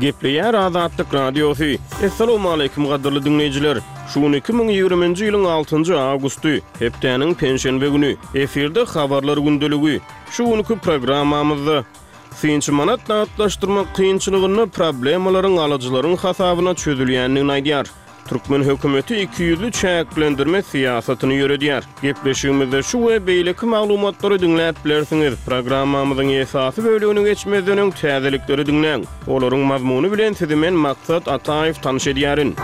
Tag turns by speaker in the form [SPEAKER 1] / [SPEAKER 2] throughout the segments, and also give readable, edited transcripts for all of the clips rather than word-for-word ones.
[SPEAKER 1] Gepleýär Azatlyk Radiosy. Essalawmaleýkim gadyrly diňleýjiler! Şu gün 2020-nji ýylyň altynjy awgusty, hepdäniň penşenbe güni. Efirde Habarlar gündeligi. Şu günki programmamyzda, Synçy manat nagtlaşdyrmak kynçylygynda problemalaryň alyjylaryň hasabyna çözülýändigini aýdýar. Türkmen hökümeti ikiýüzli çäklendirme syýasatyny ýöredýär. Gepleşigimizde şu we beýleki maglumatlary diňläp bilersiňiz. Programmamyzyň esasy bölegine geçmezden öň täzelikleri diňläň. Olaryň mazmuny bilen sizi men Maksat Ataýew tanyş edýärin.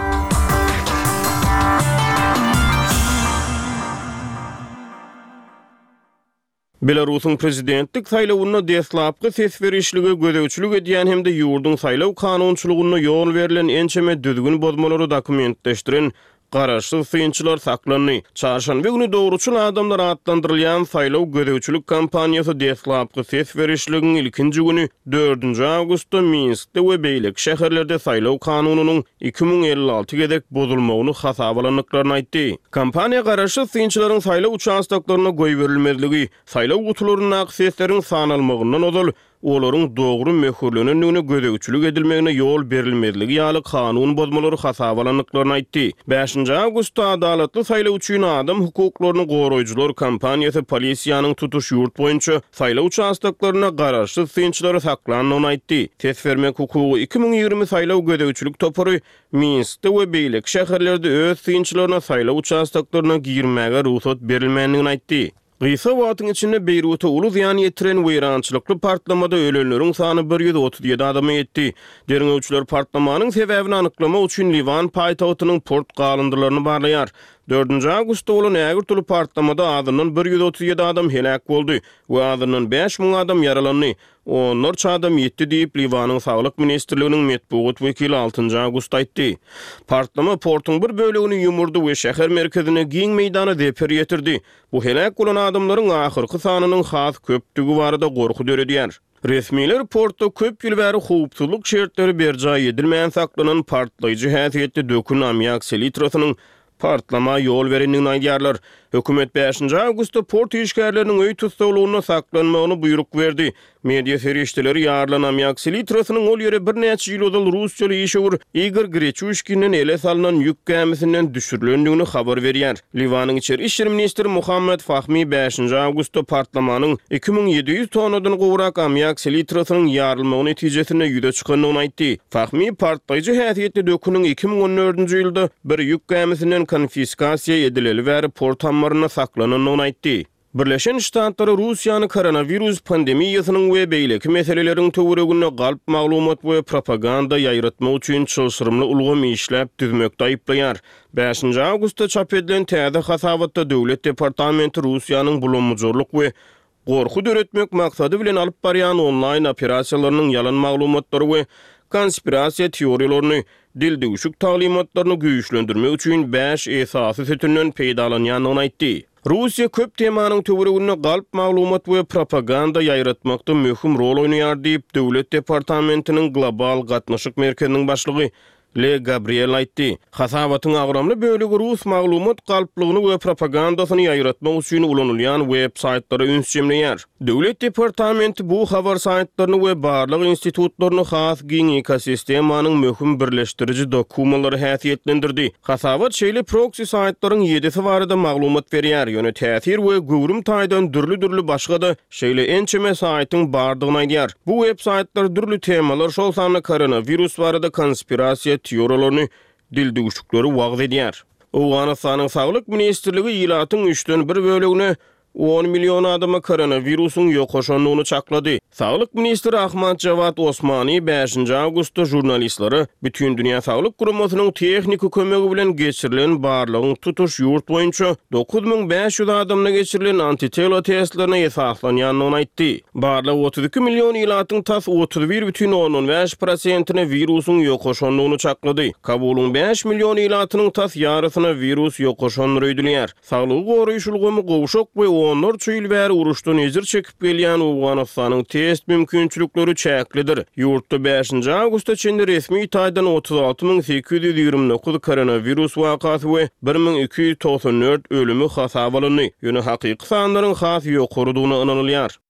[SPEAKER 1] Belarusyň prezidentlik saýlawynda deslapky ses berişlige gözegçilik edýän hem-de ýurduň saýlaw kanunçylygynda ýol berlen ençeme düzgün bozmalary dokumentleşdiren garaşsyz synçylar saklandy. Çarşenbe güni Dogruçyl adamlar atlandyrylýan saýlaw gözegçilik kampaniýasy deslapky ses berişligiň ilkinji güni, dördünji awgustda Minskde we beýleki şäherlerde saýlaw kanunynyň 2056 gezek bozulmagyny hasaba alandyklaryny aýtdy. Kampaniýa garaşsyz synçylaryň saýlaw uçastoklarynda goýberilmezligi, saýlaw gutularyndaky sesleriň sanalmagyndan ozal olaryň dogry möhürlenendigine gözegçilik edilmegine ýol berilmezligi ýaly kanun bozmalary hasaba alandyklaryny aýtdy. Bäşinji awgustda Adalatly saýlaw üçin adam hukuklaryny goraýjylar kampaniýasy polisiýanyň tutuş ýurt boýunça saýlaw uçastoklarynda garaşsyz synçylary saklandygyny aýtdy. Ses bermek hukugy 2020 saýlaw gözegçilik topary Minskde we beýleki şäherlerde öz synçylaryna saýlaw uçastoklaryna girmäge rugsat berilmändigini aýtdy. Gysga wagtyň içinde Beýruta uly zyýan ýetiren weýrançylykly partlamada ölenleriň sany 137 adama ýetdi. Derňewçiler partlamanyň sebäbini anyklamak üçin Liwan paýtagtynyň port galyndylaryny barlaýar. Dördünji awgustda bolan ägirt uly partlamada azyndan 137 adam heläk boldy we azyndan 5000 adam ýaralandy. Onlarça adam ýitdi diýip, Liwanyň Saglyk ministrliginiň metbugat wekili altynjy awgustda aýtdy. Partlama portuň bir bölegini ýumurdy we şäher merkezinde giň meýdana zeper ýetirdi. Bu heläk bolan adamlaryň ahyrky sanynyň has köpdügi barada gorky döredýär. Resmiler portda köp ýyl bäri howpsuzlyk şertleri berjaý edilmän saklanan partlaýjy häsiýetli dökün ammiak selitrasynyň partlama ýol berendigini aýdýarlar. Hökümet bäşinji awgustda port işgärleriniň öý tussaglygynda saklanmagyny buýruk berdi. Media serişdeleri ýarylan ammiak selitrasynyň ol ýere birnäçe ýyl ozal russiýaly işewür Igor Greçuşkinden ele salnan ýük gämisinden düşürilendigini habar berýär. Liwanyň içeri işler ministri Muhammad Fahmi bäşinji awgustda partlamanyň 2700 tonnadan gowrak ammiak selitrasynyň ýarylmagy netijesinde ýüze çykandygyny aýtdy. Fahmi partlaýjy häsiýetli döküniň 2014-nji ýylda bir ýük gämisinden konfiskasiýa edileli bäri port ammarynda saklanandygyny aýtdy. Birleşen Ştatlary Russiýany koronawirus pandemiýasynyň we beýleki meseleleriň töwereginde galp maglumat we propaganda ýaýratmak üçin çylşyrymly ulgam işläp düzmekde aýyplaýar. Bäşinji awgustda çap edilen täze hasabatda Döwlet departamenti Russiýanyň bulambujarlyk we gorky döretmek maksady bilen alyp barýan onlaýn operasiýalarynyň ýalan maglumatlary we konspirasiýa teoriýalaryny, dildüwşük taglymatlaryny güýçlendirmek üçin bäş esasy sütünden peýdalanýandygyny aýtdy. Russiýa köp temanyň töwereginde galp maglumat we propaganda ýaýratmakda möhüm rol oýnaýar diýip, Döwlet departamentiniň Global gatnaşyk merkeziniň başlygy Le Gabriel aýtdy. Hasabatyň agramly bölegi rus maglumat galplygyny we propagandasyny ýaýratmak üçin ulanylýan web-saýtlara üns jemleýär. Döwlet departamenti bu habar saýtlaryny we barlag institutlaryny has giň ekosistemanyň möhüm birleşdiriji dokumalary häsiýetlendirdi. Hasabat şeýle proksi saýtlaryň ýedisi barada maglumat berýär, ýöne täsir we göwrüm taýdan dürli-dürli başga-da Şeýle ençeme saýtyň bardygyny aýdýar. Bu web saýtlar dürli temalar, şol sanda koronawirus barada konspirasiýa teoriýalaryny, dildüwşükleri wagyz edýär. Owganystanyň Saglyk ministrligi ilatyň üçden bir bölegine, on million adama koronawirusyň ýokaşandygyny çaklady. Saglyk ministri Ahmad Jawad Osmani bäşinji awgustda žurnalistlere Bütindünýä Saglyk Guramasynyň tehniki kömegi bilen geçirilen barlagyň tutuş ýurt boýunça 9500 adamda geçirilen antitela testlerine esaslanýandygyny aýtdy. Barlag 32 million ilatyň tas 31,5 prosentine wirusyň ýokaşandygyny çaklady. Kabulyň bäş million ilatynyň tas ýarysyna wirus ýokaşandyr öýdülýär. Saglygy goraýyş ulgamy gowşak we onlarça ýyl bäri uruşdan ejir çekip gelýän Owganystanyň test mümkinçilikleri çäklidir. Ýurtda bäşinji awgusta çenli resmi taýdan 36 829 koronawirus wakasy we 1294 ölümi hasaba alyndy, ýöne hakyky sanlaryň has ýokarydygyna ynanylýar.